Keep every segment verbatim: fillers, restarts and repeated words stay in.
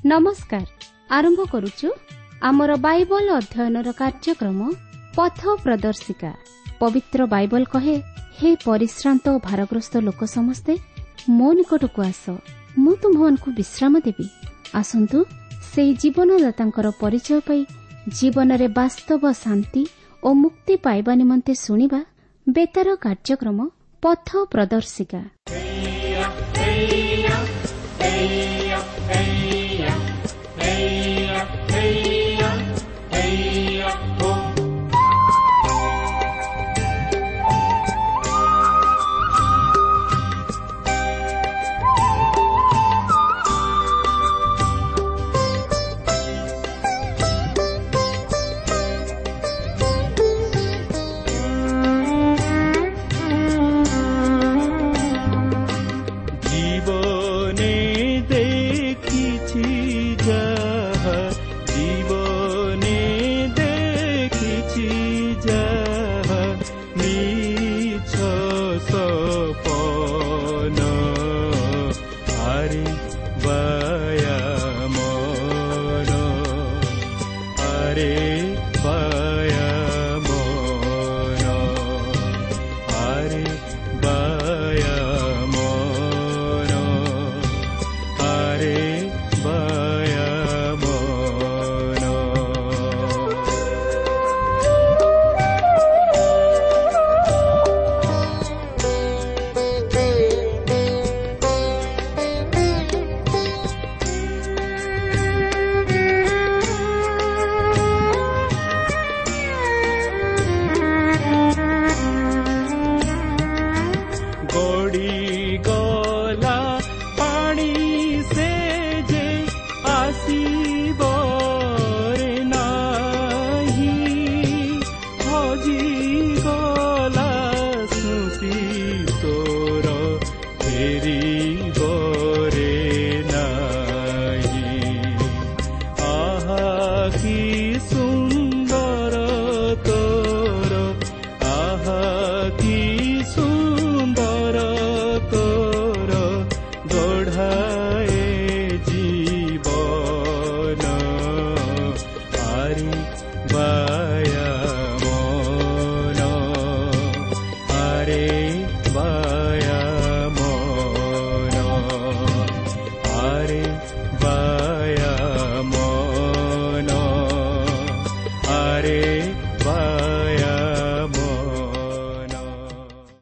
ନମସ୍କାର। ଆରମ୍ଭ କରୁଛୁ ଆମର ବାଇବଲ ଅଧ୍ୟୟନର କାର୍ଯ୍ୟକ୍ରମ ପଥ ପ୍ରଦର୍ଶିକା। ପବିତ୍ର ବାଇବଲ କହେ, ହେ ପରିଶ୍ରାନ୍ତ ଓ ଭାରଗ୍ରସ୍ତ ଲୋକ ସମସ୍ତେ ମୋ ନିକଟକୁ ଆସ, ମୁଁ ତୁମ୍ଭମାନଙ୍କୁ ବିଶ୍ରାମ ଦେବି। ଆସନ୍ତୁ ସେହି ଜୀବନଦାତାଙ୍କର ପରିଚୟ ପାଇ ଜୀବନରେ ବାସ୍ତବ ଶାନ୍ତି ଓ ମୁକ୍ତି ପାଇବା ନିମନ୍ତେ ଶୁଣିବା ବେତାର କାର୍ଯ୍ୟକ୍ରମ ପଥ ପ୍ରଦର୍ଶିକା।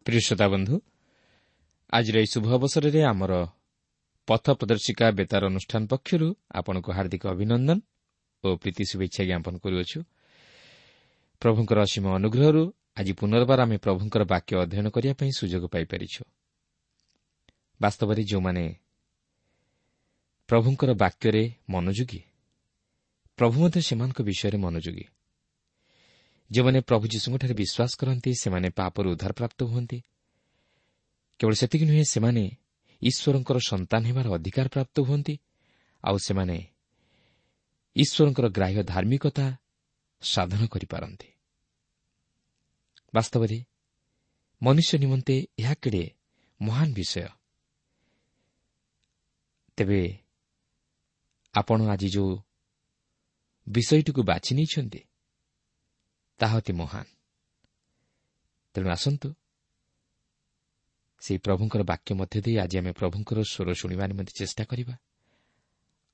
ପ୍ରିୟ ଶ୍ରୋତା ବନ୍ଧୁ, ଆଜିର ଏହି ଶୁଭ ଅବସରରେ ଆମର ପଥ ପ୍ରଦର୍ଶିକା ବେତାର ଅନୁଷ୍ଠାନ ପକ୍ଷରୁ ଆପଣଙ୍କୁ ହାର୍ଦ୍ଦିକ ଅଭିନନ୍ଦନ ଓ ପ୍ରୀତି ଶୁଭେଚ୍ଛା ଜ୍ଞାପନ କରୁଅଛୁ। ପ୍ରଭୁଙ୍କର ଅସୀମ ଅନୁଗ୍ରହରୁ ଆଜି ପୁନର୍ବାର ଆମେ ପ୍ରଭୁଙ୍କର ବାକ୍ୟ ଅଧ୍ୟୟନ କରିବା ପାଇଁ ସୁଯୋଗ ପାଇପାରିଛୁ। ବାସ୍ତବରେ ଯେଉଁମାନେ ପ୍ରଭୁଙ୍କର ବାକ୍ୟରେ ମନୋଯୋଗୀ, ପ୍ରଭୁ ମଧ୍ୟ ସେମାନଙ୍କ ବିଷୟରେ ମନୋଯୋଗୀ। ଯେଉଁମାନେ ପ୍ରଭୁ ଯୀଶୁଙ୍କଠାରେ ବିଶ୍ୱାସ କରନ୍ତି ସେମାନେ ପାପରୁ ଉଦ୍ଧାରପ୍ରାପ୍ତ ହୁଅନ୍ତି। କେବଳ ସେତିକି ନୁହେଁ, ସେମାନେ ଈଶ୍ୱରଙ୍କର ସନ୍ତାନ ହେବାର ଅଧିକାର ପ୍ରାପ୍ତ ହୁଅନ୍ତି ଆଉ ସେମାନେ ଈଶ୍ୱରଙ୍କର ଗ୍ରାହ୍ୟ ଧାର୍ମିକତା ସାଧନ କରିପାରନ୍ତି। ବାସ୍ତବରେ ମନୁଷ୍ୟ ନିମନ୍ତେ ଏହା କେଡ଼େ ମହାନ ବିଷୟ। ତେବେ ଆପଣ ଆଜି ଯେଉଁ ବିଷୟଟିକୁ ବାଛି ନେଇଛନ୍ତି ତାହା ଅତି ମହାନ। ତେଣୁ ଆସନ୍ତୁ ସେହି ପ୍ରଭୁଙ୍କର ବାକ୍ୟ ମଧ୍ୟ ଦେଇ ଆଜି ଆମେ ପ୍ରଭୁଙ୍କର ସ୍ୱର ଶୁଣିବା ନିମନ୍ତେ ଚେଷ୍ଟା କରିବା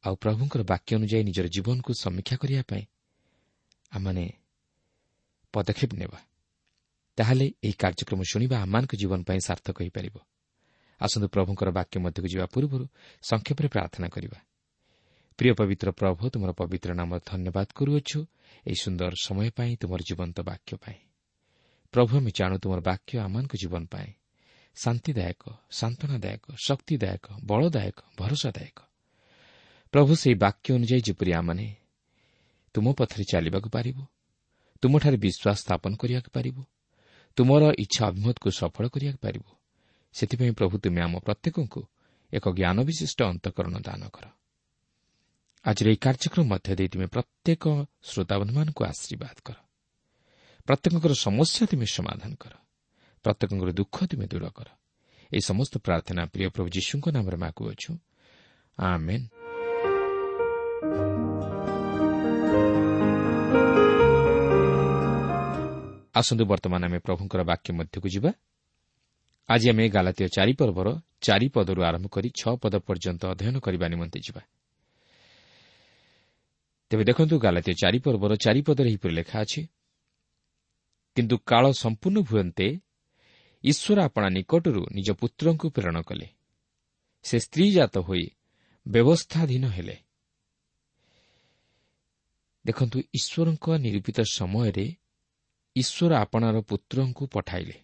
ଆଉ ପ୍ରଭୁଙ୍କର ବାକ୍ୟ ଅନୁଯାୟୀ ନିଜର ଜୀବନକୁ ସମୀକ୍ଷା କରିବା ପାଇଁ ଆମମାନେ ପଦକ୍ଷେପ ନେବା। ତାହେଲେ ଏହି କାର୍ଯ୍ୟକ୍ରମ ଶୁଣିବା ଆମମାନଙ୍କ ଜୀବନ ପାଇଁ ସାର୍ଥକ ହୋଇପାରିବ। ଆସନ୍ତୁ ପ୍ରଭୁଙ୍କର ବାକ୍ୟ ମଧ୍ୟକୁ ଯିବା ପୂର୍ବରୁ ସଂକ୍ଷେପରେ ପ୍ରାର୍ଥନା କରିବା। ପ୍ରିୟ ପବିତ୍ର ପ୍ରଭୁ, ତୁମର ପବିତ୍ର ନାମର ଧନ୍ୟବାଦ କରୁଅଛୁ ଏହି ସୁନ୍ଦର ସମୟ ପାଇଁ, ତୁମର ଜୀବନ୍ତ ବାକ୍ୟ ପାଇଁ। ପ୍ରଭୁ, ଆମେ ଜାଣୁ ତୁମର ବାକ୍ୟ ଆମମାନଙ୍କ ଜୀବନ ପାଇଁ ଶାନ୍ତିଦାୟକ, ସାନ୍ତ୍ୱନାଦାୟକ, ଶକ୍ତିଦାୟକ, ବଳଦାୟକ, ଭରସାଦାୟକ। ପ୍ରଭୁ, ସେହି ବାକ୍ୟ ଅନୁଯାୟୀ ଯେପରି ଆମମାନେ ତୁମ ପଥରେ ଚାଲିବାକୁ ପାରିବୁ, ତୁମଠାରେ ବିଶ୍ୱାସ ସ୍ଥାପନ କରିବାକୁ ପାରିବୁ, ତୁମର ଇଚ୍ଛା ଅଭିମତକୁ ସଫଳ କରିବାକୁ ପାରିବୁ, ସେଥିପାଇଁ ପ୍ରଭୁ ତୁମେ ଆମ ପ୍ରତ୍ୟେକଙ୍କୁ ଏକ ଜ୍ଞାନ ବିଶିଷ୍ଟ ଅନ୍ତଃକରଣ ଦାନ କର। ଆଜିର ଏହି କାର୍ଯ୍ୟକ୍ରମ ମଧ୍ୟ ଦେଇ ତୁମେ ପ୍ରତ୍ୟେକ ଶ୍ରୋତାବନ୍ଧୁମାନଙ୍କୁ ଆଶୀର୍ବାଦ କର। ପ୍ରତ୍ୟେକଙ୍କର ସମସ୍ୟା ତୁମେ ସମାଧାନ କର, ପ୍ରତ୍ୟେକଙ୍କର ଦୁଃଖ ତୁମେ ଦୂର କର। ଏହି ସମସ୍ତ ପ୍ରାର୍ଥନା ପ୍ରିୟ ପ୍ରଭୁ ଯୀଶୁଙ୍କ ନାମରେ ମାଗୁଅଛୁ, ଆମେନ୍। ଆସନ୍ତୁ ବର୍ତ୍ତମାନ ଆମେ ପ୍ରଭୁଙ୍କର ବାକ୍ୟ ମଧ୍ୟକୁ ଯିବା। ଆଜି ଆମେ ଗାଲାତୀୟ ଚାରି ପର୍ବର ଚାରି ପଦରୁ ଆରମ୍ଭ କରି ଛଅ ପଦ ପର୍ଯ୍ୟନ୍ତ ଅଧ୍ୟୟନ କରିବା ନିମନ୍ତେ ଯିବା। ତେବେ ଦେଖନ୍ତୁ, ଗାଲାତୀୟ ଚାରି ପର୍ବର ଚାରି ପଦରେ ଏହିପରି ଲେଖା ଅଛି, କିନ୍ତୁ କାଳ ସମ୍ପୂର୍ଣ୍ଣ ହୁଅନ୍ତେ ଈଶ୍ୱର ଆପଣା ନିକଟରୁ ନିଜ ପୁତ୍ରଙ୍କୁ ପ୍ରେରଣ କଲେ, ସେ ସ୍ତ୍ରୀଜାତ ହୋଇ ବ୍ୟବସ୍ଥାଧୀନ ହେଲେ। ଦେଖନ୍ତୁ, ଈଶ୍ୱରଙ୍କ ନିରୂପିତ ସମୟରେ ଈଶ୍ୱର ଆପଣାର ପୁତ୍ରଙ୍କୁ ପଠାଇଲେ,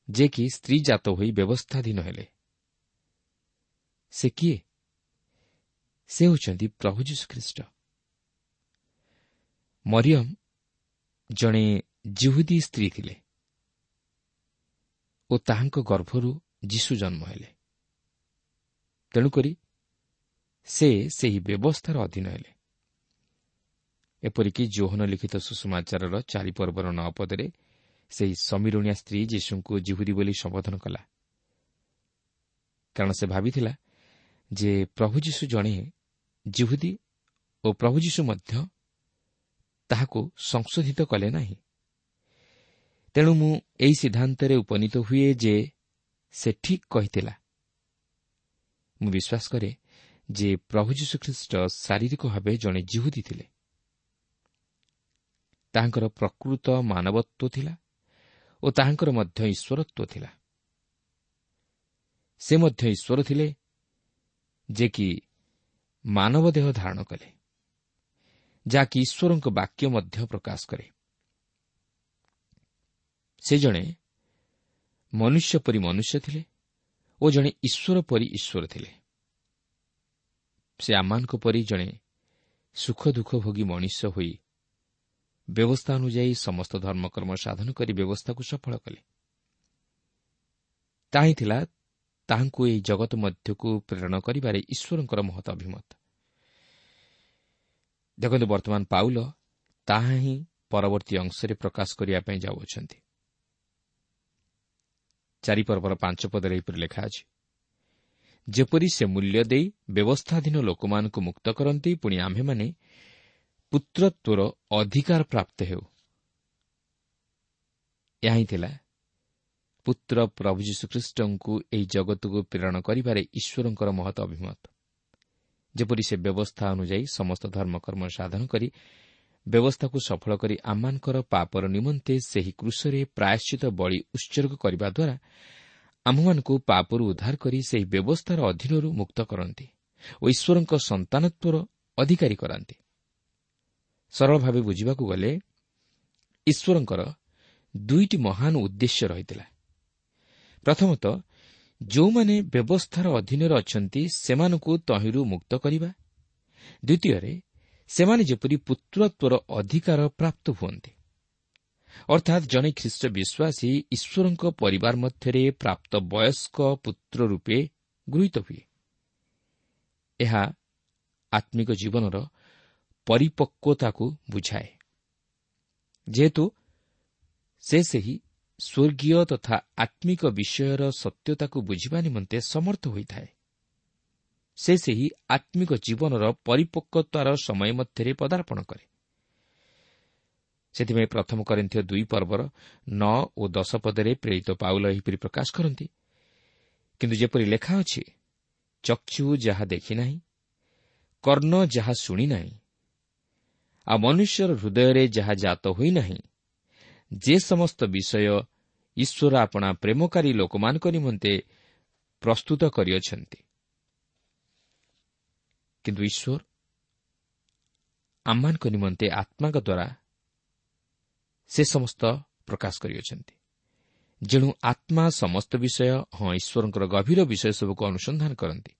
ଯେ କି ସ୍ତ୍ରୀଜାତ ହୋଇ ବ୍ୟବସ୍ଥାଧୀନ ହେଲେ। ସେ କିଏ? ସେ ହେଉଛନ୍ତି ପ୍ରଭୁ ଯୀଶୁଖ୍ରୀଷ୍ଟ। ମରିୟମ ଜଣେ ଜିହୁଦୀ ସ୍ତ୍ରୀ ଥିଲେ ଓ ତାହାଙ୍କ ଗର୍ଭରୁ ଯୀଶୁ ଜନ୍ମ ହେଲେ। ତେଣୁକରି ସେ ସେହି ବ୍ୟବସ୍ଥାର ଅଧୀନ ହେଲେ। ଏପରିକି ଯୋହନ ଲିଖିତ ସୁସମାଚାରର ଚାରି ପର୍ବର ନଅ ପଦରେ ସେହି ସମୀରଣିଆ ସ୍ତ୍ରୀ ଯୀଶୁଙ୍କୁ ଜିହୁଦୀ ବୋଲି ସମ୍ବୋଧନ କଲା, କାରଣ ସେ ଭାବିଥିଲା ଯେ ପ୍ରଭୁ ଯୀଶୁ ଜଣେ ଜିହୁଦୀ ଓ ପ୍ରଭୁ ଯୀଶୁ ମଧ୍ୟ ତାହାକୁ ସଂଶୋଧିତ କଲେ ନାହିଁ। ତେଣୁ ମୁଁ ଏହି ସିଦ୍ଧାନ୍ତରେ ଉପନୀତ ହୁଏ ଯେ ସେ ଠିକ୍ କହିଥିଲା। ମୁଁ ବିଶ୍ୱାସ କରେ ଯେ ପ୍ରଭୁ ଯୀଶୁଖ୍ରୀଷ୍ଟ ଶାରୀରିକ ଭାବେ ଜଣେ ଜିହୁଦୀ ଥିଲେ। ତାହାଙ୍କର ପ୍ରକୃତ ମାନବତ୍ୱ ଥିଲା ଓ ତାହାଙ୍କର ମଧ୍ୟ ଈଶ୍ୱରତ୍ୱ ଥିଲା। ସେ ମଧ୍ୟ ଈଶ୍ୱର ଥିଲେ, ଯେ କି ମାନବ ଦେହ ଧାରଣ କଲେ, ଯାହାକି ଈଶ୍ୱରଙ୍କ ବାକ୍ୟ ମଧ୍ୟ ପ୍ରକାଶ କରେ। ସେ ଜଣେ ମନୁଷ୍ୟ ପରି ମନୁଷ୍ୟ ଥିଲେ ଓ ଜଣେ ଈଶ୍ୱର ପରି ଈଶ୍ୱର ଥିଲେ। ସେ ଆମମାନଙ୍କ ପରି ଜଣେ ସୁଖ ଦୁଃଖ ଭୋଗୀ ମଣିଷ ହୋଇ ବ୍ୟବସ୍ଥା ଅନୁଯାୟୀ ସମସ୍ତ ଧର୍ମକର୍ମ ସାଧନ କରି ବ୍ୟବସ୍ଥାକୁ ସଫଳ କଲେ। ତାହା ହିଁ ଥିଲା ତାହାଙ୍କୁ ଏହି ଜଗତ ମଧ୍ୟକୁ ପ୍ରେରଣ କରିବାରେ ଈଶ୍ୱରଙ୍କର ମହତ ଅଭିମତ। ଦେଖନ୍ତୁ, ବର୍ତ୍ତମାନ ପାଉଲ ତାହା ହିଁ ପରବର୍ତ୍ତୀ ଅଂଶରେ ପ୍ରକାଶ କରିବା ପାଇଁ ଯାଉଅଛନ୍ତି। ଚାରି ପର୍ବର ପାଞ୍ଚ ପଦରେ ଏହିପରି ଲେଖା ଅଛି, ଯେପରି ସେ ମୂଲ୍ୟ ଦେଇ ବ୍ୟବସ୍ଥାଧୀନ ଲୋକମାନଙ୍କୁ ମୁକ୍ତ କରନ୍ତି, ପୁଣି ଆମ୍ଭେମାନେ ପୁତ୍ରତ୍ୱର ଅଧିକାର ପ୍ରାପ୍ତ ହେଉ। ଏହା ହିଁ ଥିଲା ପୁତ୍ର ପ୍ରଭୁ ଯୀଶୁଖ୍ରୀଷ୍ଟଙ୍କୁ ଏହି ଜଗତକୁ ପ୍ରେରଣ କରିବାରେ ଈଶ୍ୱରଙ୍କର ମହତ ଅଭିମତ। ଯେପରି ସେ ବ୍ୟବସ୍ଥା ଅନୁଯାୟୀ ସମସ୍ତ ଧର୍ମକର୍ମ ସାଧନ କରି ବ୍ୟବସ୍ଥାକୁ ସଫଳ କରି ଆମମାନଙ୍କର ପାପର ନିମନ୍ତେ ସେହି କ୍ରୁଶରେ ପ୍ରାୟଶ୍ଚିତ ବଳି ଉତ୍ସର୍ଗ କରିବା ଦ୍ୱାରା ଆମ୍ଭମାନଙ୍କୁ ପାପରୁ ଉଦ୍ଧାର କରି ସେହି ବ୍ୟବସ୍ଥାର ଅଧୀନରୁ ମୁକ୍ତ କରନ୍ତି ଓ ଈଶ୍ୱରଙ୍କ ସନ୍ତାନତ୍ୱର ଅଧିକାରୀ କରାନ୍ତି। ସରଳ ଭାବେ ବୁଝିବାକୁ ଗଲେ ଈଶ୍ୱରଙ୍କର ଦୁଇଟି ମହାନ ଉଦ୍ଦେଶ୍ୟ ରହିଥିଲା। ପ୍ରଥମତଃ, ଯେଉଁମାନେ ବ୍ୟବସ୍ଥାର ଅଧୀନରେ ଅଛନ୍ତି ସେମାନଙ୍କୁ ତହିଁରୁ ମୁକ୍ତ କରିବା। ଦ୍ୱିତୀୟରେ, ସେମାନେ ଯେପରି ପୁତ୍ରତ୍ୱର ଅଧିକାର ପ୍ରାପ୍ତ ହୁଅନ୍ତି। ଅର୍ଥାତ୍ ଜଣେ ଖ୍ରୀଷ୍ଟ ବିଶ୍ୱାସୀ ଈଶ୍ୱରଙ୍କ ପରିବାର ମଧ୍ୟରେ ପ୍ରାପ୍ତ ବୟସ୍କ ପୁତ୍ର ରୂପେ ଗୃହୀତ ହୁଏ। ଏହା ଆତ୍ମିକ ଜୀବନର ପରିପକ୍ୱତାକୁ ବୁଝାଏ, ଯେହେତୁ ସେ ସେହି ସ୍ୱର୍ଗୀୟ ତଥା ଆତ୍ମିକ ବିଷୟର ସତ୍ୟତାକୁ ବୁଝିବା ନିମନ୍ତେ ସମର୍ଥ ହୋଇଥାଏ। ସେ ସେହି ଆତ୍ମିକ ଜୀବନର ପରିପକ୍ୱତାର ସମୟ ମଧ୍ୟରେ ପଦାର୍ପଣ କରେ। ସେଥିପାଇଁ ପ୍ରଥମ କରିନ୍ଥୀୟ ଦୁଇ ପର୍ବର ନଅ ଓ ଦଶ ପଦରେ ପ୍ରେରିତ ପାଉଲ ଏହିପରି ପ୍ରକାଶ କରନ୍ତି, କିନ୍ତୁ ଯେପରି ଲେଖା ଅଛି, ଚକ୍ଷୁ ଯାହା ଦେଖିନାହିଁ, କର୍ଣ୍ଣ ଯାହା ଶୁଣିନାହିଁ, ଆଉ ମନୁଷ୍ୟର ହୃଦୟରେ ଯାହା ଜାତ ହୋଇନାହିଁ, ଯେ ସମସ୍ତ ବିଷୟ ଈଶ୍ୱର ଆପଣା ପ୍ରେମକାରୀ ଲୋକମାନଙ୍କ ନିମନ୍ତେ ପ୍ରସ୍ତୁତ କରିଅଛନ୍ତି। କିନ୍ତୁ ଈଶ୍ୱର ଆମମାନଙ୍କ ନିମନ୍ତେ ଆତ୍ମାଙ୍କ ଦ୍ୱାରା ସେ ସମସ୍ତ ପ୍ରକାଶ କରିଅଛନ୍ତି। ଯେଣୁ ଆତ୍ମା ସମସ୍ତ ବିଷୟ, ହଁ ଈଶ୍ୱରଙ୍କର ଗଭୀର ବିଷୟ ସବୁକୁ ଅନୁସନ୍ଧାନ କରନ୍ତି।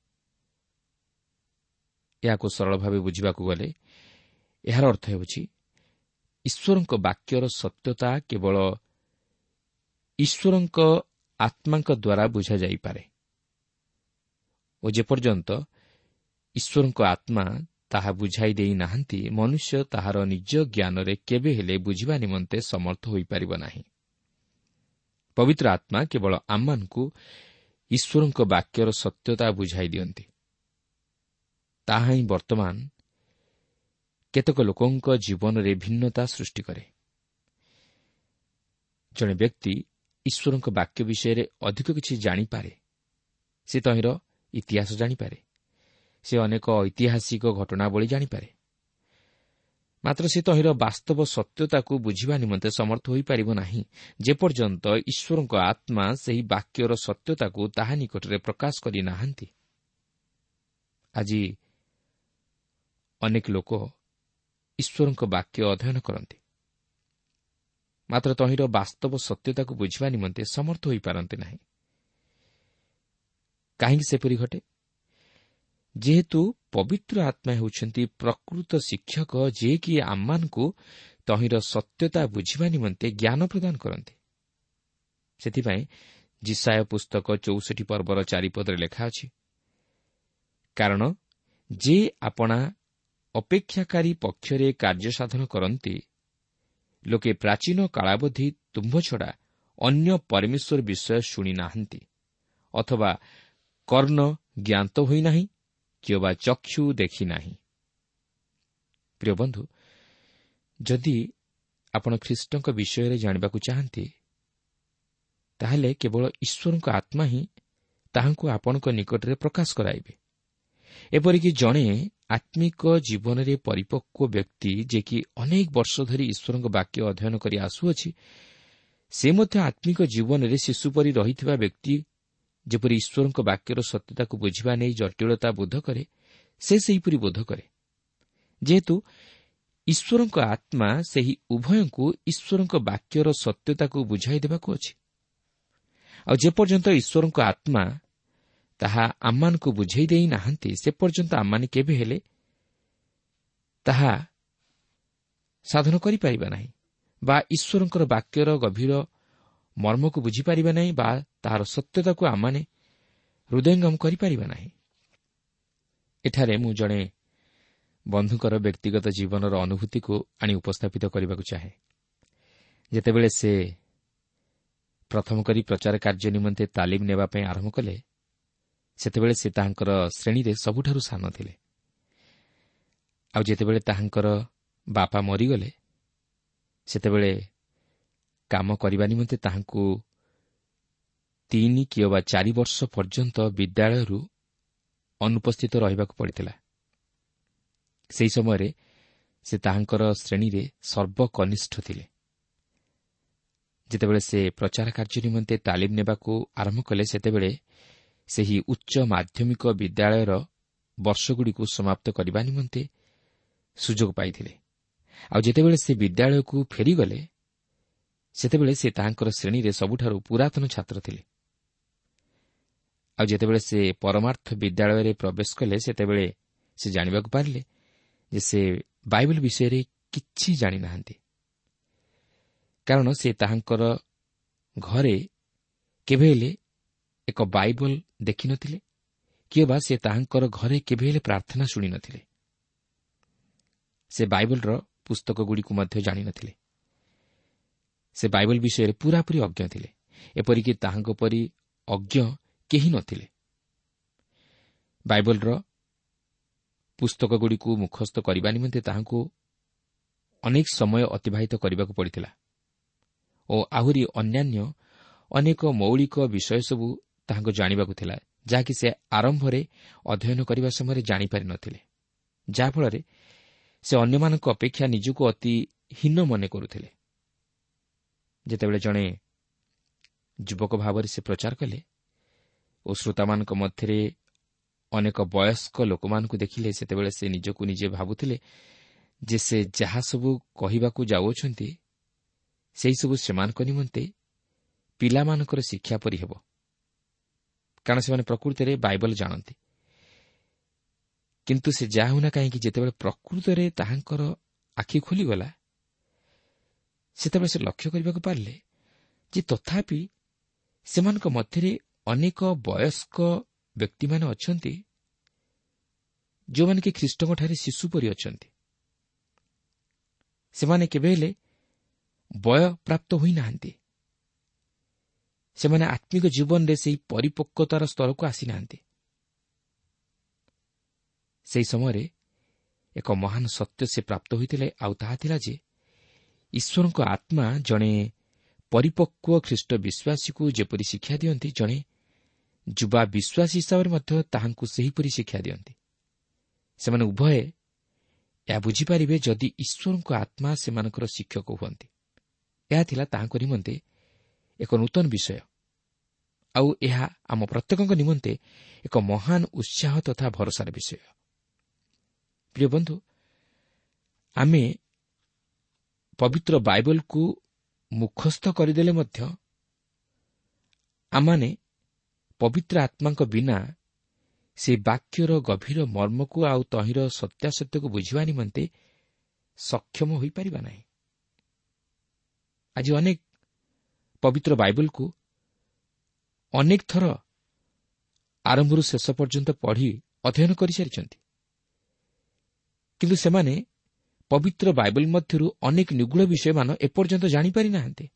ଏହାକୁ ସରଳ ଭାବେ ବୁଝିବାକୁ ଗଲେ ଏହାର ଅର୍ଥ ହେଉଛି ଈଶ୍ୱରଙ୍କ ବାକ୍ୟର ସତ୍ୟତା କେବଳ ଈଶ୍ୱରଙ୍କ ଆତ୍ମାଙ୍କ ଦ୍ୱାରା ବୁଝାଯାଇପାରେ ଓ ଯେପର୍ଯ୍ୟନ୍ତ ଈଶ୍ୱରଙ୍କ ଆତ୍ମା ତାହା ବୁଝାଇ ଦେଇନାହାନ୍ତି, ମନୁଷ୍ୟ ତାହାର ନିଜ ଜ୍ଞାନରେ କେବେ ହେଲେ ବୁଝିବା ନିମନ୍ତେ ସମର୍ଥ ହୋଇପାରିବ ନାହିଁ। ପବିତ୍ର ଆତ୍ମା କେବଳ ଆମମାନଙ୍କୁ ଈଶ୍ୱରଙ୍କ ବାକ୍ୟର ସତ୍ୟତା ବୁଝାଇ ଦିଅନ୍ତି। ତାହା ହିଁ ବର୍ତ୍ତମାନ କେତେକ ଲୋକଙ୍କ ଜୀବନରେ ଭିନ୍ନତା ସୃଷ୍ଟି କରେ। ଜଣେ ବ୍ୟକ୍ତି ଈଶ୍ୱରଙ୍କ ବାକ୍ୟ ବିଷୟରେ ଅଧିକ କିଛି ଜାଣିପାରେ, ସେ ତହିଁର ଇତିହାସ ଜାଣିପାରେ, ସେ ଅନେକ ଐତିହାସିକ ଘଟଣାବଳୀ ଜାଣିପାରେ, ମାତ୍ର ସେ ତହିଁର ବାସ୍ତବ ସତ୍ୟତାକୁ ବୁଝିବା ନିମନ୍ତେ ସମର୍ଥ ହୋଇପାରିବ ନାହିଁ ଯେପର୍ଯ୍ୟନ୍ତ ଈଶ୍ୱରଙ୍କ ଆତ୍ମା ସେହି ବାକ୍ୟର ସତ୍ୟତାକୁ ତାହା ନିକଟରେ ପ୍ରକାଶ କରିନାହାନ୍ତି। ଆଜି ଅନେକ ଲୋକ ଈଶ୍ୱରଙ୍କ ବାକ୍ୟ ଅଧ୍ୟୟନ କରନ୍ତି, ମାତ୍ର ତହିଁର ବାସ୍ତବ ସତ୍ୟତାକୁ ବୁଝିବା ନିମନ୍ତେ ସମର୍ଥ ହୋଇପାରନ୍ତି ନାହିଁ। କାହିଁକି ସେପରି ଘଟେ? ଯେହେତୁ ପବିତ୍ର ଆତ୍ମା ହେଉଛନ୍ତି ପ୍ରକୃତ ଶିକ୍ଷକ, ଯିଏକି ଆମମାନଙ୍କୁ ତହିଁର ସତ୍ୟତା ବୁଝିବା ନିମନ୍ତେ ଜ୍ଞାନ ପ୍ରଦାନ କରନ୍ତି। ସେଥିପାଇଁ ଯିଶାଇୟ ପୁସ୍ତକ ଚଉଷଠି ପର୍ବର ଚାରିପଦରେ ଲେଖା ଅଛି, କାରଣ ଯେ ଆପଣା ଅପେକ୍ଷାକାରୀ ପକ୍ଷରେ କାର୍ଯ୍ୟ ସାଧନ କରନ୍ତି, ଲୋକେ ପ୍ରାଚୀନ କାଳାବଧି ତୁମ୍ଭ ଛଡ଼ା ଅନ୍ୟ ପରମେଶ୍ୱର ବିଷୟ ଶୁଣି ନାହାନ୍ତି, ଅଥବା କର୍ଣ୍ଣ ଜ୍ଞାତ ହୋଇନାହିଁ କିମ୍ବା ଚକ୍ଷୁ ଦେଖିନାହିଁ। ପ୍ରିୟ ବନ୍ଧୁ, ଯଦି ଆପଣ ଖ୍ରୀଷ୍ଟଙ୍କ ବିଷୟରେ ଜାଣିବାକୁ ଚାହାନ୍ତି, ତାହେଲେ କେବଳ ଈଶ୍ୱରଙ୍କ ଆତ୍ମା ହିଁ ତାହାଙ୍କୁ ଆପଣଙ୍କ ନିକଟରେ ପ୍ରକାଶ କରାଇବେ। ଏପରିକି ଜଣେ ଆତ୍ମିକ ଜୀବନରେ ପରିପକ୍ୱ ବ୍ୟକ୍ତି, ଯିଏକି ଅନେକ ବର୍ଷ ଧରି ଈଶ୍ୱରଙ୍କ ବାକ୍ୟ ଅଧ୍ୟୟନ କରି ଆସୁଅଛି, ସେ ମଧ୍ୟ ଆତ୍ମିକ ଜୀବନରେ ଶିଶୁ ପରି ରହିଥିବା ବ୍ୟକ୍ତି ଯେପରି ଈଶ୍ୱରଙ୍କ ବାକ୍ୟର ସତ୍ୟତାକୁ ବୁଝିବା ନେଇ ଜଟିଳତା ବୋଧ କରେ, ସେ ସେହିପରି ବୋଧ କରେ। ଯେହେତୁ ଈଶ୍ୱରଙ୍କ ଆତ୍ମା ସେହି ଉଭୟଙ୍କୁ ଈଶ୍ୱରଙ୍କ ବାକ୍ୟର ସତ୍ୟତାକୁ ବୁଝାଇ ଦେବାକୁ ଅଛି। ଆଉ ଯେପର୍ଯ୍ୟନ୍ତ ଈଶ୍ୱରଙ୍କ ଆତ୍ମା ତାହା ଆମମାନଙ୍କୁ ବୁଝାଇ ଦେଇ ନାହାନ୍ତି, ସେ ପର୍ଯ୍ୟନ୍ତ ଆମମାନେ କେବେ ହେଲେ ତାହା ସାଧନ କରିପାରିବା ନାହିଁ ବା ଈଶ୍ୱରଙ୍କର ବାକ୍ୟର ଗଭୀର ମର୍ମକୁ ବୁଝିପାରିବା ନାହିଁ ବା ତାହାର ସତ୍ୟତାକୁ ଆମମାନେ ହୃଦୟଙ୍ଗମ କରିପାରିବା ନାହିଁ। ଏଠାରେ ମୁଁ ଜଣେ ବନ୍ଧୁଙ୍କର ବ୍ୟକ୍ତିଗତ ଜୀବନର ଅନୁଭୂତିକୁ ଆଣି ଉପସ୍ଥାପିତ କରିବାକୁ ଚାହେଁ। ଯେତେବେଳେ ସେ ପ୍ରଥମ କରି ପ୍ରଚାର କାର୍ଯ୍ୟ ନିମନ୍ତେ ତାଲିମ ନେବା ପାଇଁ ଆରମ୍ଭ କଲେ, ସେତେବେଳେ ସେ ତାହାଙ୍କର ଶ୍ରେଣୀରେ ସବୁଠାରୁ ସାନ ଥିଲେ। ଆଉ ଯେତେବେଳେ ତାହାଙ୍କର ବାପା ମରିଗଲେ, ସେତେବେଳେ କାମ କରିବା ନିମନ୍ତେ ତାହାଙ୍କୁ ତିନି କିମ୍ବା ଚାରି ବର୍ଷ ପର୍ଯ୍ୟନ୍ତ ବିଦ୍ୟାଳୟରୁ ଅନୁପସ୍ଥିତ ରହିବାକୁ ପଡ଼ିଥିଲା। ସେହି ସମୟରେ ସେ ତାହାଙ୍କର ଶ୍ରେଣୀରେ ସର୍ବକନିଷ୍ଠ ଥିଲେ। ଯେତେବେଳେ ସେ ପ୍ରଚାର କାର୍ଯ୍ୟ ନିମନ୍ତେ ତାଲିମ ନେବାକୁ ଆରମ୍ଭ କଲେ, ସେତେବେଳେ ସେହି ଉଚ୍ଚ ମାଧ୍ୟମିକ ବିଦ୍ୟାଳୟର ବର୍ଷଗୁଡ଼ିକୁ ସମାପ୍ତ କରିବା ନିମନ୍ତେ ସୁଯୋଗ ପାଇଥିଲେ। ଆଉ ଯେତେବେଳେ ସେ ବିଦ୍ୟାଳୟକୁ ଫେରିଗଲେ, ସେତେବେଳେ ସେ ତାହାଙ୍କର ଶ୍ରେଣୀରେ ସବୁଠାରୁ ପୁରାତନ ଛାତ୍ର ଥିଲେ। ଆଉ ଯେତେବେଳେ ସେ ପରମାର୍ଥ ବିଦ୍ୟାଳୟରେ ପ୍ରବେଶ କଲେ, ସେତେବେଳେ ସେ ଜାଣିବାକୁ ପାରିଲେ ଯେ ସେ ବାଇବଲ ବିଷୟରେ କିଛି ଜାଣିନାହାନ୍ତି, କାରଣ ସେ ତାହାଙ୍କର ଘରେ କେବେ ହେଲେ ଏକ ବାଇବଲ ଦେଖିନଥିଲେ କିମ୍ବା ସେ ତାହାଙ୍କର ଘରେ କେବେ ହେଲେ ପ୍ରାର୍ଥନା ଶୁଣିନଥିଲେ। ସେ ବାଇବଲର ପୁସ୍ତକଗୁଡ଼ିକୁ ମଧ୍ୟ ଜାଣିନଥିଲେ। ସେ ବାଇବଲ ବିଷୟରେ ପୂରାପୂରି ଅଜ୍ଞ ଥିଲେ, ଏପରିକି ତାହାଙ୍କ ପରି ଅଜ୍ଞ କେହି ନଥିଲେ। ବାଇବଲର ପୁସ୍ତକଗୁଡ଼ିକୁ ମୁଖସ୍ଥ କରିବା ନିମନ୍ତେ ତାହାଙ୍କୁ ଅନେକ ସମୟ ଅତିବାହିତ କରିବାକୁ ପଡ଼ିଥିଲା ଓ ଆହୁରି ଅନ୍ୟାନ୍ୟ ଅନେକ ମୌଳିକ ବିଷୟ ସବୁ ତାହାଙ୍କୁ ଜାଣିବାକୁ ଥିଲା, ଯାହାକି ସେ ଆରମ୍ଭରେ ଅଧ୍ୟୟନ କରିବା ସମୟରେ ଜାଣିପାରିନଥିଲେ, ଯାହାଫଳରେ ସେ ଅନ୍ୟମାନଙ୍କ ଅପେକ୍ଷା ନିଜକୁ ଅତି ହୀନ ମନେ କରୁଥିଲେ। ଯେତେବେଳେ ଜଣେ ଯୁବକ ଭାବରେ ସେ ପ୍ରଚାର କଲେ ଓ ଶ୍ରୋତାମାନଙ୍କ ମଧ୍ୟରେ ଅନେକ ବୟସ୍କ ଲୋକମାନଙ୍କୁ ଦେଖିଲେ, ସେତେବେଳେ ସେ ନିଜକୁ ନିଜେ ଭାବୁଥିଲେ ଯେ ସେ ଯାହା ସବୁ କହିବାକୁ ଯାଉଅଛନ୍ତି ସେହିସବୁ ସେମାନଙ୍କ ନିମନ୍ତେ ପିଲାମାନଙ୍କର ଶିକ୍ଷା ପରି ହେବ, କାରଣ ସେମାନେ ପ୍ରକୃତରେ ବାଇବଲ ଜାଣନ୍ତି। କିନ୍ତୁ ସେ ଯାହା ହେଉନା କାହିଁକି, ଯେତେବେଳେ ପ୍ରକୃତରେ ତାହାଙ୍କର ଆଖି ଖୋଲିଗଲା, ସେତେବେଳେ ସେ ଲକ୍ଷ୍ୟ କରିବାକୁ ପାରିଲେ ଯେ ତଥାପି ସେମାନଙ୍କ ମଧ୍ୟରେ ଅନେକ ବୟସ୍କ ବ୍ୟକ୍ତିମାନେ ଅଛନ୍ତି ଯେଉଁମାନେ କି ଖ୍ରୀଷ୍ଟଙ୍କଠାରେ ଶିଶୁ ପରି ଅଛନ୍ତି। ସେମାନେ କେବେ ହେଲେ ବୟପ୍ରାପ୍ତ ହୋଇନାହାନ୍ତି। ସେମାନେ ଆତ୍ମିକ ଜୀବନରେ ସେହି ପରିପକ୍ୱତାର ସ୍ତରକୁ ଆସିନାହାନ୍ତି। ସେହି ସମୟରେ ଏକ ମହାନ ସତ୍ୟ ସେ ପ୍ରାପ୍ତ ହୋଇଥିଲେ, ଆଉ ତାହା ଥିଲା ଯେ ଈଶ୍ୱରଙ୍କ ଆତ୍ମା ଜଣେ ପରିପକ୍ୱ ଖ୍ରୀଷ୍ଟ ବିଶ୍ୱାସୀକୁ ଯେପରି ଶିକ୍ଷା ଦିଅନ୍ତି, ଜଣେ ଯୁବା ବିଶ୍ୱାସୀ ହିସାବରେ ମଧ୍ୟ ତାହାଙ୍କୁ ସେହିପରି ଶିକ୍ଷା ଦିଅନ୍ତି। ସେମାନେ ଉଭୟେ ଏହା ବୁଝିପାରିବେ ଯଦି ଈଶ୍ୱରଙ୍କ ଆତ୍ମା ସେମାନଙ୍କର ଶିକ୍ଷକ ହୁଅନ୍ତି। ଏହା ଥିଲା ତାହାଙ୍କ ନିମନ୍ତେ ଏକ ନୂତନ ବିଷୟ, ଆଉ ଏହା ଆମ ପ୍ରତ୍ୟେକଙ୍କ ନିମନ୍ତେ ଏକ ମହାନ ଉତ୍ସାହ ତଥା ଭରସାର ବିଷୟ। ପ୍ରିୟ ବନ୍ଧୁ, ଆମେ ପବିତ୍ର ବାଇବଲକୁ ମୁଖସ୍ଥ କରିଦେଲେ ମଧ୍ୟ ଆମମାନେ ପବିତ୍ର ଆତ୍ମାଙ୍କ ବିନା ସେ ବାକ୍ୟର ଗଭୀର ମର୍ମକୁ ଆଉ ତହିଁର ସତ୍ୟାସତ୍ୟକୁ ବୁଝିବା ନିମନ୍ତେ ସକ୍ଷମ ହୋଇପାରିବା ନାହିଁ। ଆଜି ଅନେକ ପବିତ୍ର ବାଇବଲକୁ ଅନେକ ଥର ଆରମ୍ଭରୁ ଶେଷ ପର୍ଯ୍ୟନ୍ତ ପଢ଼ି ଅଧ୍ୟୟନ କରିସାରିଛନ୍ତି, କିନ୍ତୁ ସେମାନେ ପବିତ୍ର ବାଇବଲ ମଧ୍ୟରୁ ଅନେକ ନିଗୂଢ଼ ବିଷୟମାନ ଏପର୍ଯ୍ୟନ୍ତ ଜାଣିପାରିନାହାନ୍ତି,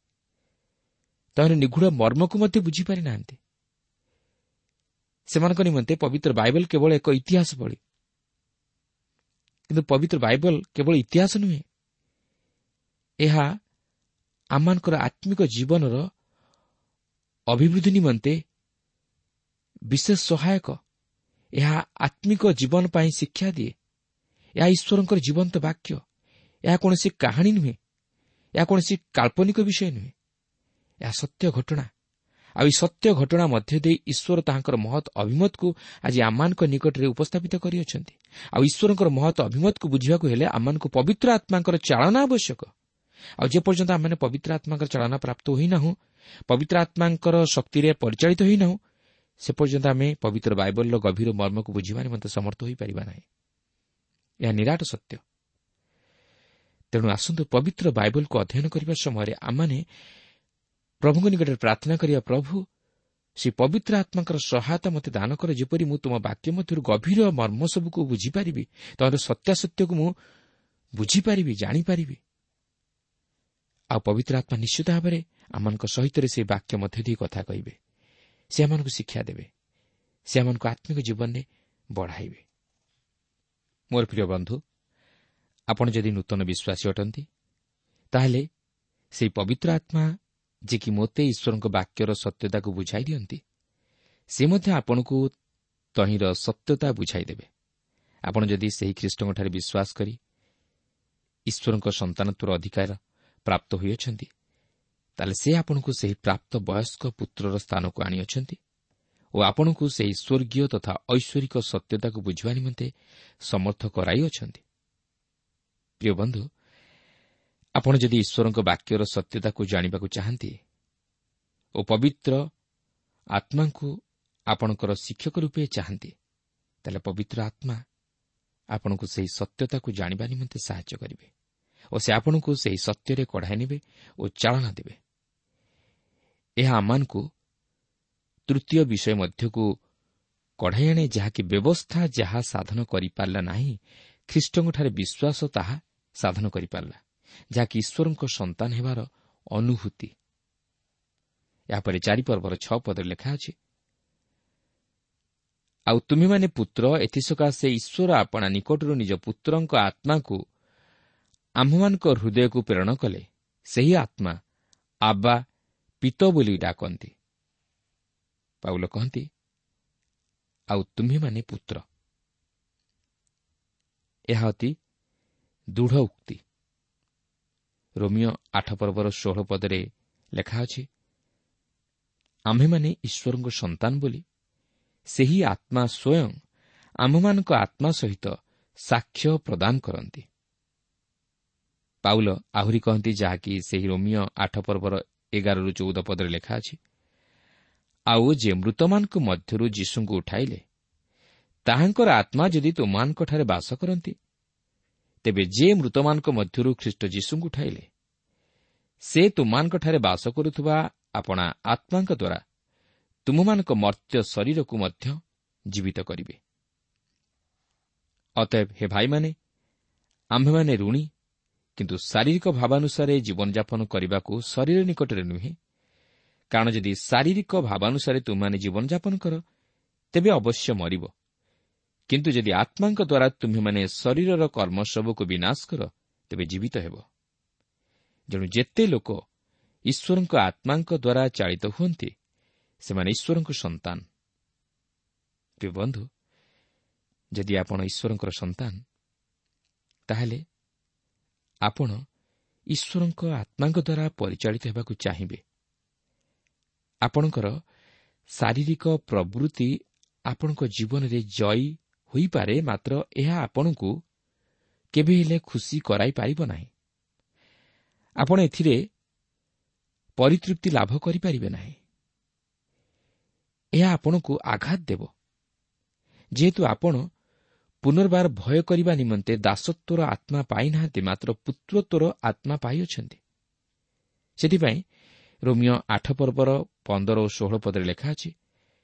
ତହିଁର ନିଗୂଢ଼ ମର୍ମକୁ ମଧ୍ୟ ବୁଝିପାରିନାହାନ୍ତି। ସେମାନଙ୍କ ନିମନ୍ତେ ପବିତ୍ର ବାଇବଲ କେବଳ ଏକ ଇତିହାସ ଭଳି, କିନ୍ତୁ ପବିତ୍ର ବାଇବଲ କେବଳ ଇତିହାସ ନୁହେଁ, ଏହା ଆମମାନଙ୍କର ଆତ୍ମିକ ଜୀବନର ଅଭିବୃଦ୍ଧି ନିମନ୍ତେ ବିଶେଷ ସହାୟକ। ଏହା ଆତ୍ମିକ ଜୀବନ ପାଇଁ ଶିକ୍ଷା ଦିଏ। ଏହା ଈଶ୍ୱରଙ୍କର ଜୀବନ୍ତ ବାକ୍ୟ। ଏହା କୌଣସି କାହାଣୀ ନୁହେଁ, ଏହା କୌଣସି କାଳ୍ପନିକ ବିଷୟ ନୁହେଁ, ଏହା ସତ୍ୟ ଘଟଣା। ଆଉ ଏହି ସତ୍ୟ ଘଟଣା ମଧ୍ୟ ଦେଇ ଈଶ୍ୱର ତାହାଙ୍କର ମହତ୍ ଅଭିମତକୁ ଆଜି ଆମମାନଙ୍କ ନିକଟରେ ଉପସ୍ଥାପିତ କରିଅଛନ୍ତି। ଆଉ ଈଶ୍ୱରଙ୍କର ମହତ୍ ଅଭିମତକୁ ବୁଝିବାକୁ ହେଲେ ଆମମାନଙ୍କୁ ପବିତ୍ର ଆତ୍ମାଙ୍କର ଚାଳନା ଆବଶ୍ୟକ। ଆଉ ଯେପର୍ଯ୍ୟନ୍ତ ଆମମାନେ ପବିତ୍ର ଆତ୍ମାଙ୍କର ଚାଳନା ପ୍ରାପ୍ତ ହୋଇନାହୁଁ, ପବିତ୍ର ଆତ୍ମାଙ୍କର ଶକ୍ତିରେ ପରିଚାଳିତ ହୋଇନାହୁଁ, ସେ ପର୍ଯ୍ୟନ୍ତ ଆମେ ପବିତ୍ର ବାଇବଲର ଗଭୀର ମର୍ମକୁ ବୁଝିବା ନିମନ୍ତେ ସମର୍ଥ ହୋଇପାରିବା ନାହିଁ। ଏହା ନିରାଟ ସତ୍ୟ। ତେଣୁ ଆସନ୍ତୁ ପବିତ୍ର ବାଇବଲକୁ ଅଧ୍ୟୟନ କରିବା ସମୟରେ ଆମମାନେ ପ୍ରଭୁଙ୍କ ନିକଟରେ ପ୍ରାର୍ଥନା କରିବା, ପ୍ରଭୁ ସେ ପବିତ୍ର ଆତ୍ମାଙ୍କର ସହାୟତା ମୋତେ ଦାନ କର, ଯେପରି ମୁଁ ତୁମ ବାକ୍ୟ ମଧ୍ୟରୁ ଗଭୀର ମର୍ମ ସବୁକୁ ବୁଝିପାରିବି, ତମର ସତ୍ୟାସତ୍ୟକୁ ମୁଁ ବୁଝିପାରିବି, ଜାଣିପାରିବି। ଆଉ ପବିତ୍ର ଆତ୍ମା ନିଶ୍ଚିତ ଭାବରେ ଆମମାନଙ୍କ ସହିତ ସେ ବାକ୍ୟ ମଧ୍ୟ ଦେଇ କଥା କହିବେ, ସେ ଆମମାନଙ୍କୁ ଶିକ୍ଷା ଦେବେ, ସେ ଆମମାନଙ୍କୁ ଆତ୍ମିକ ଜୀବନରେ ବଢ଼ାଇବେ। ମୋର ପ୍ରିୟ ବନ୍ଧୁ, ଆପଣ ଯଦି ନୂତନ ବିଶ୍ୱାସୀ ଅଟନ୍ତି, ତାହେଲେ ସେହି ପବିତ୍ର ଆତ୍ମା ଯିଏକି ମୋତେ ଈଶ୍ୱରଙ୍କ ବାକ୍ୟର ସତ୍ୟତାକୁ ବୁଝାଇ ଦିଅନ୍ତି, ସେ ମଧ୍ୟ ଆପଣଙ୍କୁ ତହିଁର ସତ୍ୟତା ବୁଝାଇ ଦେବେ। ଆପଣ ଯଦି ସେହି ଖ୍ରୀଷ୍ଟଙ୍କଠାରେ ବିଶ୍ୱାସ କରି ଈଶ୍ୱରଙ୍କ ସନ୍ତାନତ୍ୱର ଅଧିକାର ପ୍ରାପ୍ତ ହୋଇଅଛନ୍ତି, ତାହେଲେ ସେ ଆପଣଙ୍କୁ ସେହି ପ୍ରାପ୍ତ ବୟସ୍କ ପୁତ୍ରର ସ୍ଥାନକୁ ଆଣିଅଛନ୍ତି ଓ ଆପଣଙ୍କୁ ସେହି ସ୍ୱର୍ଗୀୟ ତଥା ଐଶ୍ୱରିକ ସତ୍ୟତାକୁ ବୁଝିବା ନିମନ୍ତେ ସମର୍ଥ କରାଇଅଛନ୍ତି। ପ୍ରିୟ ବନ୍ଧୁ, ଆପଣ ଯଦି ଈଶ୍ୱରଙ୍କ ବାକ୍ୟର ସତ୍ୟତାକୁ ଜାଣିବାକୁ ଚାହାନ୍ତି ଓ ପବିତ୍ର ଆତ୍ମାଙ୍କୁ ଆପଣଙ୍କର ଶିକ୍ଷକ ରୂପେ ଚାହାନ୍ତି, ତାହେଲେ ପବିତ୍ର ଆତ୍ମା ଆପଣଙ୍କୁ ସେହି ସତ୍ୟତାକୁ ଜାଣିବା ନିମନ୍ତେ ସାହାଯ୍ୟ କରିବେ ଓ ସେ ଆପଣଙ୍କୁ ସେହି ସତ୍ୟରେ କଢ଼ାଇ ନେବେ ଓ ଚାଳନା ଦେବେ। ଏହା ଆମମାନଙ୍କୁ ତୃତୀୟ ବିଷୟ ମଧ୍ୟକୁ କଢ଼ାଇ ଆଣେ, ଯାହାକି ବ୍ୟବସ୍ଥା ଯାହା ସାଧନ କରିପାରିଲା ନାହିଁ, ଖ୍ରୀଷ୍ଟଙ୍କଠାରେ ବିଶ୍ୱାସ ତାହା ସାଧନ କରିପାରିଲା, ଯାହାକି ଈଶ୍ୱରଙ୍କ ସନ୍ତାନ ହେବାର ଅନୁଭୂତି। ଏହାପରେ ଚାରି ପର୍ବର ଛଅ ପଦରେ ଲେଖା ଅଛି, ଆଉ ତୁମେମାନେ ପୁତ୍ର, ଏଥିସକାଶେ ଈଶ୍ୱର ଆପଣା ନିକଟରୁ ନିଜ ପୁତ୍ରଙ୍କ ଆତ୍ମାକୁ ଆମ୍ଭମାନଙ୍କ ହୃଦୟକୁ ପ୍ରେରଣ କଲେ, ସେହି ଆତ୍ମା ଆବ୍ବା ପିତ ବୋଲି ଡାକନ୍ତି। ପାଉଲ କହନ୍ତି, ଆଉ ତୁମ୍ଭେମାନେ ପୁତ୍ର। ଏହା ଅତି ଦୃଢ଼ ଉକ୍ତି। ରୋମିଓ ଆଠ ପର୍ବର ଷୋହଳ ପଦରେ ଲେଖା ଅଛି, ଆମ୍ଭେମାନେ ଈଶ୍ୱରଙ୍କ ସନ୍ତାନ ବୋଲି ସେହି ଆତ୍ମା ସ୍ୱୟଂ ଆମ୍ଭମାନଙ୍କ ଆତ୍ମା ସହିତ ସାକ୍ଷ୍ୟ ପ୍ରଦାନ କରନ୍ତି। ପାଉଲ ଆହୁରି କହନ୍ତି, ଯାହାକି ସେହି ରୋମିଓ ଆଠ ପର୍ବର ଏଗାରରୁ ଚଉଦ ପଦରେ ଲେଖା ଅଛି, ଆଉ ଯେ ମୃତମାନଙ୍କ ମଧ୍ୟରୁ ଯୀଶୁଙ୍କୁ ଉଠାଇଲେ, ତାହାଙ୍କର ଆତ୍ମା ଯଦି ତୁମମାନଙ୍କଠାରେ ବାସ କରନ୍ତି, ତେବେ ଯେ ମୃତମାନଙ୍କ ମଧ୍ୟରୁ ଖ୍ରୀଷ୍ଟ ଯୀଶୁଙ୍କୁ ଉଠାଇଲେ, ସେ ତୁମମାନଙ୍କଠାରେ ବାସ କରୁଥିବା ଆପଣା ଆତ୍ମାଙ୍କ ଦ୍ୱାରା ତୁମମାନଙ୍କ ମର୍ତ୍ତ୍ୟ ଶରୀରକୁ ମଧ୍ୟ ଜୀବିତ କରିବେ। ଅତଏବ ହେ ଭାଇମାନେ, ଆମ୍ଭେମାନେ ଋଣୀ, କିନ୍ତୁ ଶାରୀରିକ ଭାବାନୁସାରେ ଜୀବନଯାପନ କରିବାକୁ ଶରୀର ନିକଟରେ ନୁହେଁ। କାରଣ ଯଦି ଶାରୀରିକ ଭାବାନୁସାରେ ତୁମେମାନେ ଜୀବନଯାପନ କର, ତେବେ ଅବଶ୍ୟ ମରିବ। କିନ୍ତୁ ଯଦି ଆତ୍ମାଙ୍କ ଦ୍ୱାରା ତୁମ୍ଭେମାନେ ଶରୀରର କର୍ମ ସବୁକୁ ବିନାଶ କର, ତେବେ ଜୀବିତ ହେବ। ଯେଣୁ ଯେତେ ଲୋକ ଈଶ୍ୱରଙ୍କ ଆତ୍ମାଙ୍କ ଦ୍ୱାରା ଚାଳିତ ହୁଅନ୍ତି, ସେମାନେ ଈଶ୍ୱରଙ୍କ ସନ୍ତାନ। ପ୍ରିୟ ବନ୍ଧୁ, ଯଦି ଆପଣ ଈଶ୍ୱରଙ୍କର ସନ୍ତାନ, ତାହେଲେ ଆପଣ ଈଶ୍ୱରଙ୍କ ଆତ୍ମାଙ୍କ ଦ୍ୱାରା ପରିଚାଳିତ ହେବାକୁ ଚାହିଁବେ। ଆପଣଙ୍କର ଶାରୀରିକ ପ୍ରବୃତ୍ତି ଆପଣଙ୍କ ଜୀବନରେ ଜୟୀ ହୋଇପାରେ, ମାତ୍ର ଏହା ଆପଣଙ୍କୁ କେବେ ହେଲେ ଖୁସି କରାଇପାରିବ ନାହିଁ। ଆପଣ ଏଥିରେ ପରିତୃପ୍ତି ଲାଭ କରିପାରିବେ ନାହିଁ। ଏହା ଆପଣଙ୍କୁ ଆଘାତ ଦେବ, ଯେହେତୁ ଆପଣ ପୁନର୍ବାର ଭୟ କରିବା ନିମନ୍ତେ ଦାସତ୍ୱର ଆତ୍ମା ପାଇନାହାନ୍ତି, ମାତ୍ର ପୁତ୍ରତ୍ୱର ଆତ୍ମା ପାଇଅଛନ୍ତି। ସେଥିପାଇଁ ରୋମିଓ ଆଠ ପର୍ବର ପନ୍ଦର ଓ ଷୋହଳ ପଦରେ ଲେଖା ଅଛି,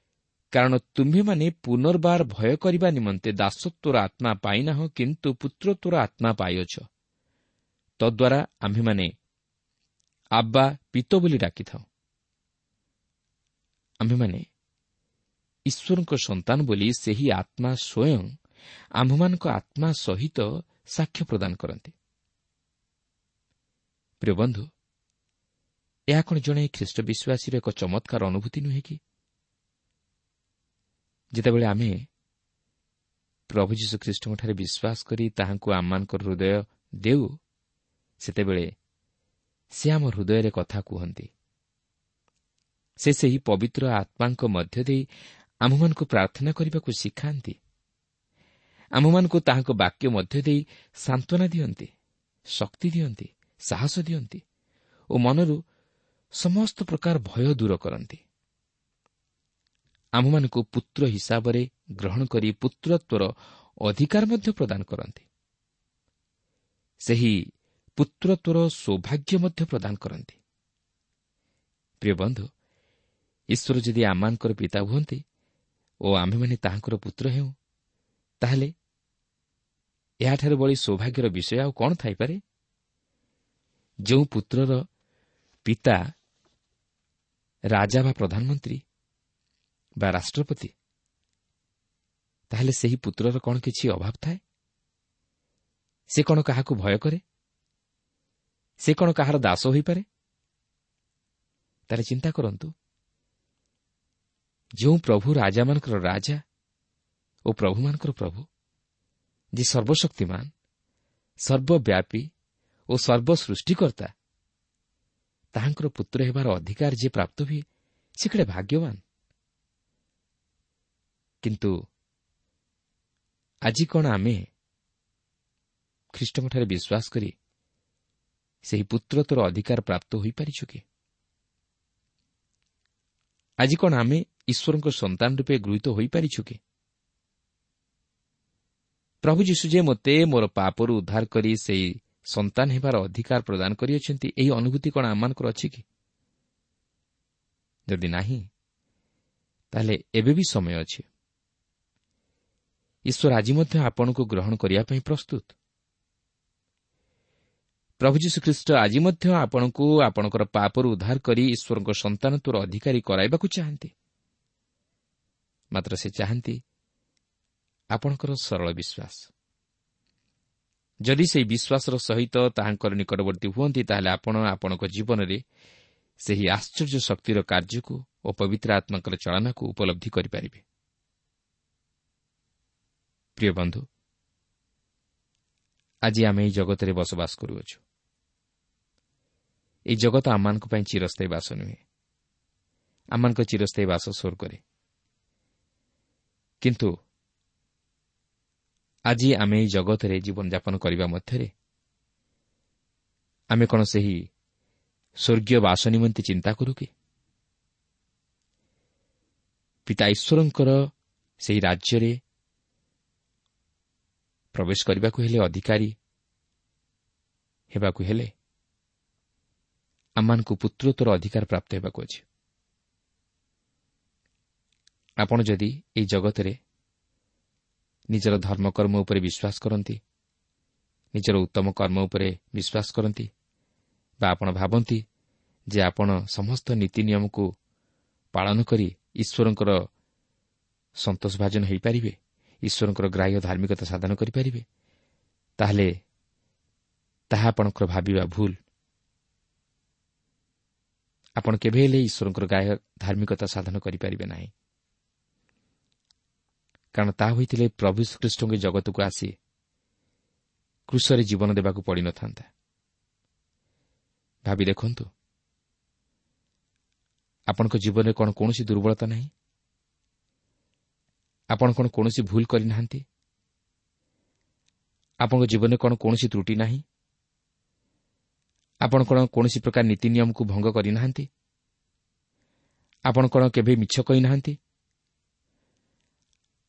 କାରଣ ତୁମ୍ଭେମାନେ ପୁନର୍ବାର ଭୟ କରିବା ନିମନ୍ତେ ଦାସତ୍ୱର ଆତ୍ମା ପାଇନାହ, କିନ୍ତୁ ପୁତ୍ରତ୍ୱର ଆତ୍ମା ପାଇଅଛ। ତଦ୍ୱାରା ଆମ୍ଭେମାନେ ଆବ୍ବା ପିତ ବୋଲି ଡାକିଥାଉ। ଆମ୍ଭେମାନେ ଈଶ୍ୱରଙ୍କ ସନ୍ତାନ ବୋଲି ସେହି ଆତ୍ମା ସ୍ୱୟଂ ଆମ୍ଭମାନଙ୍କ ଆତ୍ମା ସହିତ ସାକ୍ଷ୍ୟ ପ୍ରଦାନ କରନ୍ତି। ପ୍ରିୟ ବନ୍ଧୁ, ଏହା କ'ଣ ଜଣେ ଖ୍ରୀଷ୍ଟ ବିଶ୍ୱାସୀର ଏକ ଚମତ୍କାର ଅନୁଭୂତି ନୁହେଁ କି? ଯେତେବେଳେ ଆମେ ପ୍ରଭୁ ଯୀଶୁଖ୍ରୀଷ୍ଟଙ୍କଠାରେ ବିଶ୍ୱାସ କରି ତାହାଙ୍କୁ ଆମମାନଙ୍କର ହୃଦୟ ଦେଉ, ସେତେବେଳେ ସେ ଆମ ହୃଦୟରେ କଥା କୁହନ୍ତି। ସେ ସେହି ପବିତ୍ର ଆତ୍ମାଙ୍କ ମଧ୍ୟ ଦେଇ ଆମ୍ଭମାନଙ୍କୁ ପ୍ରାର୍ଥନା କରିବାକୁ ଶିଖାନ୍ତି। ଆମ୍ଭମାନଙ୍କୁ ତାହାଙ୍କ ବାକ୍ୟ ମଧ୍ୟ ଦେଇ ସାନ୍ତ୍ୱନା ଦିଅନ୍ତି, ଶକ୍ତି ଦିଅନ୍ତି, ସାହସ ଦିଅନ୍ତି ଓ ମନରୁ ସମସ୍ତ ପ୍ରକାର ଭୟ ଦୂର କରନ୍ତି। ଆମ୍ଭମାନଙ୍କୁ ପୁତ୍ର ହିସାବରେ ଗ୍ରହଣ କରି ପୁତ୍ରତ୍ୱର ଅଧିକାର ମଧ୍ୟ ପ୍ରଦାନ କରନ୍ତି। ସେହି ପୁତ୍ରତ୍ୱର ସୌଭାଗ୍ୟ ମଧ୍ୟ ପ୍ରଦାନ କରନ୍ତି। ପ୍ରିୟ ବନ୍ଧୁ, ଈଶ୍ୱର ଯଦି ଆମମାନଙ୍କର ପିତା ହୁଅନ୍ତି ଓ ଆମ୍ଭେମାନେ ତାହାଙ୍କର ପୁତ୍ର ହେଉ, ତାହେଲେ ଏହାଠାରୁ ବଳି ସୌଭାଗ୍ୟର ବିଷୟ ଆଉ କ'ଣ ଥାଇପାରେ? ଯେଉଁ ପୁତ୍ରର ପିତା ରାଜା ବା ପ୍ରଧାନମନ୍ତ୍ରୀ ବା ରାଷ୍ଟ୍ରପତି, ତାହେଲେ ସେହି ପୁତ୍ରର କ'ଣ କିଛି ଅଭାବ ଥାଏ? ସେ କ'ଣ କାହାକୁ ଭୟ କରେ? ସେ କ'ଣ କାହାର ଦାସ ହୋଇପାରେ? ତାହେଲେ ଚିନ୍ତା କରନ୍ତୁ, ଯେଉଁ ପ୍ରଭୁ ରାଜାମାନଙ୍କର ରାଜା ଓ ପ୍ରଭୁମାନଙ୍କର ପ୍ରଭୁ, ଯେ ସର୍ବଶକ୍ତିମାନ, ସର୍ବବ୍ୟାପୀ ଓ ସର୍ବସୃଷ୍ଟିକର୍ତ୍ତା, ତାହାଙ୍କର ପୁତ୍ର ହେବାର ଅଧିକାର ଯିଏ ପ୍ରାପ୍ତ ହୁଏ, ସେ କେଡ଼େ ଭାଗ୍ୟବାନ। କିନ୍ତୁ ଆଜି କ'ଣ ଆମେ ଖ୍ରୀଷ୍ଟଙ୍କଠାରେ ବିଶ୍ୱାସ କରି ସେହି ପୁତ୍ରତ୍ୱର ଅଧିକାର ପ୍ରାପ୍ତ ହୋଇପାରିଛୁ କି? ଆଜି କ'ଣ ଆମେ ଈଶ୍ୱରଙ୍କ ସନ୍ତାନ ରୂପେ ଗୃହୀତ ହୋଇପାରିଛୁ କି? ପ୍ରଭୁ ଯୀଶୁ ଯେ ମୋତେ ମୋର ପାପରୁ ଉଦ୍ଧାର କରି ସେହି ସନ୍ତାନ ହେବାର ଅଧିକାର ପ୍ରଦାନ କରିଅଛନ୍ତି, ଏହି ଅନୁଭୂତି କ'ଣ ଆମମାନଙ୍କର ଅଛି କି? ଯଦି ନାହିଁ, ତାହେଲେ ଏବେ ବି ସମୟ ଅଛି। ଈଶ୍ୱର ଆଜି ମଧ୍ୟ ଆପଣଙ୍କୁ ଗ୍ରହଣ କରିବା ପାଇଁ ପ୍ରସ୍ତୁତ। ପ୍ରଭୁ ଯୀଶୁଖ୍ରୀଷ୍ଟ ଆଜି ମଧ୍ୟ ଆପଣଙ୍କୁ ଆପଣଙ୍କର ପାପରୁ ଉଦ୍ଧାର କରି ଈଶ୍ୱରଙ୍କ ସନ୍ତାନତ୍ୱର ଅଧିକାରୀ କରାଇବାକୁ ଚାହାନ୍ତି। ମାତ୍ର ସେ ଚାହାନ୍ତି ଆପଣଙ୍କର ସରଳ ବିଶ୍ୱାସ। ଯଦି ସେହି ବିଶ୍ୱାସର ସହିତ ତାହାଙ୍କର ନିକଟବର୍ତ୍ତୀ ହୁଅନ୍ତି, ତାହେଲେ ଆପଣ ଆପଣଙ୍କ ଜୀବନରେ ସେହି ଆଶ୍ଚର୍ଯ୍ୟ ଶକ୍ତିର କାର୍ଯ୍ୟକୁ ଓ ପବିତ୍ର ଆତ୍ମାଙ୍କର ଚାଳନାକୁ ଉପଲବ୍ଧି କରିପାରିବେ। ପ୍ରିୟ ବନ୍ଧୁ, ଆଜି ଆମେ ଏହି ଜଗତରେ ବସବାସ କରୁଅଛୁ। ଏହି ଜଗତ ଆମମାନଙ୍କ ପାଇଁ ଚିରସ୍ଥାୟୀ ବାସ ନୁହେଁ। ଆମମାନଙ୍କ ଚିରସ୍ଥାୟୀ ବାସ ସ୍ୱର୍ଗରେ। କିନ୍ତୁ ଆଜି ଆମେ ଏହି ଜଗତରେ ଜୀବନଯାପନ କରିବା ମଧ୍ୟରେ ଆମେ କ'ଣ ସେହି ସ୍ୱର୍ଗୀୟ ବାସ ନିମନ୍ତେ ଚିନ୍ତା କରୁ କି? ପିତା ଈଶ୍ୱରଙ୍କର ସେହି ରାଜ୍ୟରେ ପ୍ରବେଶ କରିବାକୁ ହେଲେ, ଅଧିକାରୀ ହେବାକୁ ହେଲେ ଆମମାନଙ୍କୁ ପୁତ୍ରତ୍ୱର ଅଧିକାର ପ୍ରାପ୍ତ ହେବାକୁ ଅଛି। ଆପଣ ଯଦି ଏହି ଜଗତରେ ନିଜର ଧର୍ମକର୍ମ ଉପରେ ବିଶ୍ୱାସ କରନ୍ତି, ନିଜର ଉତ୍ତମ କର୍ମ ଉପରେ ବିଶ୍ୱାସ କରନ୍ତି, ବା ଆପଣ ଭାବନ୍ତି ଯେ ଆପଣ ସମସ୍ତ ନୀତି ନିୟମକୁ ପାଳନ କରି ଈଶ୍ୱରଙ୍କର ସନ୍ତୋଷଭାଜନ ହୋଇପାରିବେ, ଈଶ୍ୱରଙ୍କର ଗ୍ରାହ୍ୟ ଧାର୍ମିକତା ସାଧନ କରିପାରିବେ, ତାହେଲେ ତାହା ଆପଣଙ୍କର ଭାବିବା ଭୁଲ। ଆପଣ କେବେ ହେଲେ ଈଶ୍ୱରଙ୍କର ଗ୍ରାହ୍ୟ ଧାର୍ମିକତା ସାଧନ କରିପାରିବେ ନାହିଁ, କାରଣ ତାହା ହୋଇଥିଲେ ପ୍ରଭୁ ଖ୍ରୀଷ୍ଟଙ୍କ ଜଗତକୁ ଆସି କ୍ରୁଶରେ ଜୀବନ ଦେବାକୁ ପଡ଼ିନଥାନ୍ତା। ଭାବି ଦେଖନ୍ତୁ, ଆପଣଙ୍କ ଜୀବନରେ କ'ଣ କୌଣସି ଦୁର୍ବଳତା ନାହିଁ? ଆପଣ କ'ଣ କୌଣସି ଭୁଲ କରିନାହାନ୍ତି? ଆପଣଙ୍କ ଜୀବନରେ କ'ଣ କୌଣସି ତ୍ରୁଟି ନାହିଁ? ଆପଣ କ'ଣ କୌଣସି ପ୍ରକାର ନୀତି ନିୟମକୁ ଭଙ୍ଗ କରିନାହାନ୍ତି? ଆପଣ କ'ଣ କେବେ ମିଛ କହିନାହାନ୍ତି?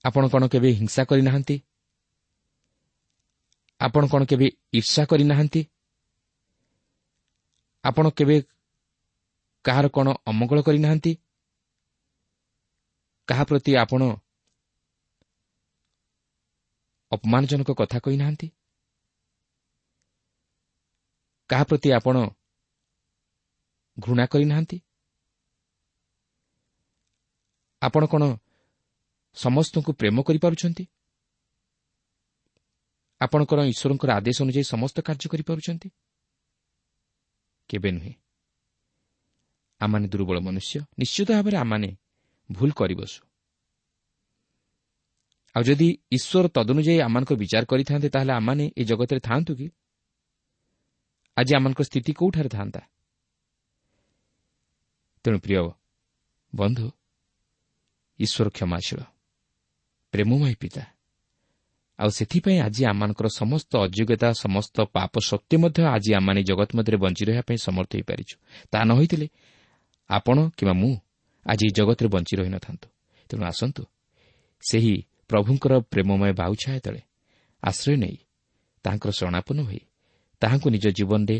ଆପଣ କ'ଣ କେବେ ହିଂସା କରିନାହାନ୍ତି? ଆପଣ କ'ଣ କେବେ ଈର୍ଷା କରିନାହାନ୍ତି? ଆପଣ କେବେ କାହାର କ'ଣ ଅମଙ୍ଗଳ କରିନାହାନ୍ତି? କାହା ପ୍ରତି ଆପଣ ଅପମାନଜନକ କଥା କହିନାହାନ୍ତି? କାହା ପ୍ରତି ଆପଣ ଘୃଣା କରିନାହାନ୍ତି? ଆପଣ କ'ଣ ସମସ୍ତଙ୍କୁ ପ୍ରେମ କରିପାରୁଛନ୍ତି? ଆପଣ କ'ଣ ଈଶ୍ୱରଙ୍କର ଆଦେଶ ଅନୁଯାୟୀ ସମସ୍ତ କାର୍ଯ୍ୟ କରିପାରୁଛନ୍ତି? କେବେ ନୁହେଁ। ଆମମାନେ ଦୁର୍ବଳ ମନୁଷ୍ୟ, ନିଶ୍ଚିତ ଭାବରେ ଆମମାନେ ଭୁଲ କରିବସୁ। ଆଉ ଯଦି ଈଶ୍ୱର ତଦନୁଯାୟୀ ଆମମାନଙ୍କର ବିଚାର କରିଥାନ୍ତେ, ତାହେଲେ ଆମମାନେ ଏ ଜଗତରେ ଥାଆନ୍ତୁ କି? ଆଜି ଆମମାନଙ୍କ ସ୍ଥିତି କେଉଁଠାରେ ଥାନ୍ତା? ତେଣୁ ପ୍ରିୟ ବନ୍ଧୁ, ଈଶ୍ୱର କ୍ଷମାଶୀଳ, ପ୍ରେମମୟ ପିତା। ଆଉ ସେଥିପାଇଁ ଆଜି ଆମମାନଙ୍କର ସମସ୍ତ ଅଯୋଗ୍ୟତା, ସମସ୍ତ ପାପ ସତ୍ତ୍ୱେ ମଧ୍ୟ ଆଜି ଆମମାନେ ଜଗତ ମଧ୍ୟରେ ବଞ୍ଚି ରହିବା ପାଇଁ ସମର୍ଥ ହୋଇପାରିଛୁ। ତାହା ନ ହୋଇଥିଲେ ଆପଣ କିମ୍ବା ମୁଁ ଆଜି ଏହି ଜଗତରେ ବଞ୍ଚି ରହିନଥାନ୍ତୁ। ତେଣୁ ଆସନ୍ତୁ ସେହି ପ୍ରଭୁଙ୍କର ପ୍ରେମମୟ ବାହୁଛାୟା ତଳେ ଆଶ୍ରୟ ନେଇ ତାହାଙ୍କର ଶରଣାପନ୍ନ ହୋଇ ତାହାଙ୍କୁ ନିଜ ଜୀବନରେ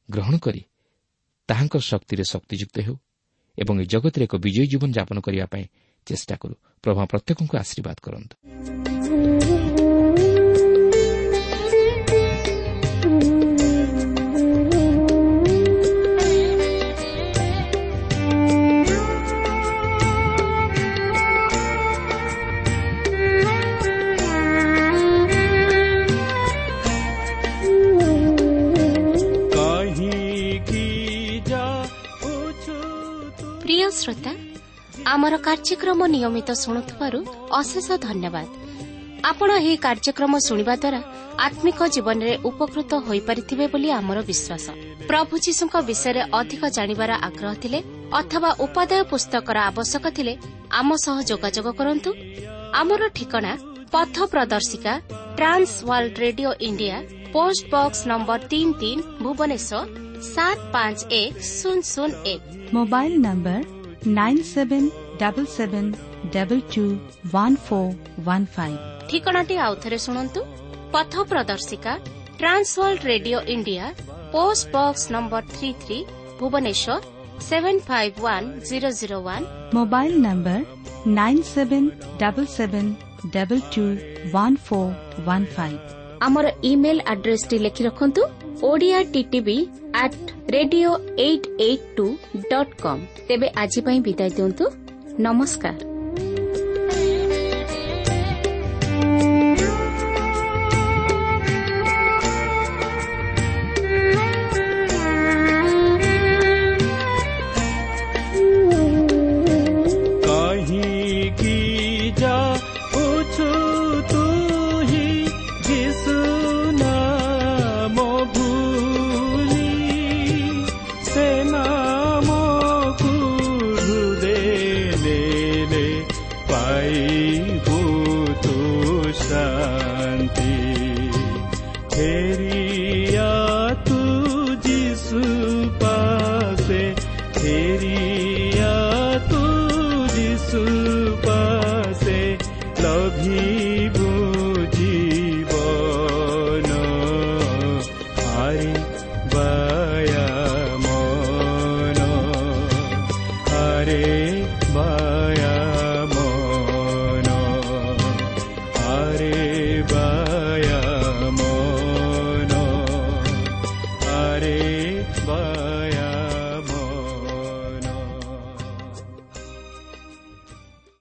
ଗ୍ରହଣ କରି ତାହାଙ୍କ ଶକ୍ତିରେ ଶକ୍ତିଯୁକ୍ତ ହେଉ ଏବଂ ଏ ଜଗତରେ ଏକ ବିଜୟୀ ଜୀବନ ଯାପନ କରିବା ପାଇଁ ଚେଷ୍ଟା କରୁ। ପ୍ରଭୁ ପ୍ରତ୍ୟେକଙ୍କୁ ଆଶୀର୍ବାଦ କରନ୍ତୁ। ପ୍ରିୟ ଶ୍ରୋତା, ଆମର କାର୍ଯ୍ୟକ୍ରମ ନିୟମିତ ଶୁଣୁଥିବାରୁ ଅଶେଷ ଧନ୍ୟବାଦ। ଆପଣ ଏହି କାର୍ଯ୍ୟକ୍ରମ ଶୁଣିବା ଦ୍ୱାରା ଆତ୍ମିକ ଜୀବନରେ ଉପକୃତ ହୋଇପାରିଥିବେ ବୋଲି ଆମର ବିଶ୍ୱାସ। ପ୍ରଭୁ ଯୀଶୁଙ୍କ ବିଷୟରେ ଅଧିକ ଜାଣିବାର ଆଗ୍ରହ ଥିଲେ ଅଥବା ଉପାଦେୟ ପୁସ୍ତକର ଆବଶ୍ୟକ ଥିଲେ ଆମ ସହ ଯୋଗାଯୋଗ କରନ୍ତୁ। ଆମର ଠିକଣା ପଥ ପ୍ରଦର୍ଶିକା, Trans World Radio India, post box number ତିନି ତିନି, ଭୁବନେଶ୍ୱର ସାତ ପାଞ୍ଚ ଏକ ଶୂନ ଶୂନ ଏକ। Mobile number nine seven double seven double two one four one five. ଠିକଣାଟି ଆଉଥରେ ଶୁଣନ୍ତୁ। ପଥ ପ୍ରଦର୍ଶିକା, Trans World Radio India, post box number three three, Bhubaneswar seven five one zero zero one. Mobile number nine seven double seven double two one four one five. ଆମର email ଆଡ୍ରେସଟି ଲେଖି ରଖନ୍ତୁ, Odia TTV at radio eight eight two dot com. ତେବେ ଆଜି ପାଇଁ ବିଦାୟ ଦିଅନ୍ତୁ। ନମସ୍କାର। Hare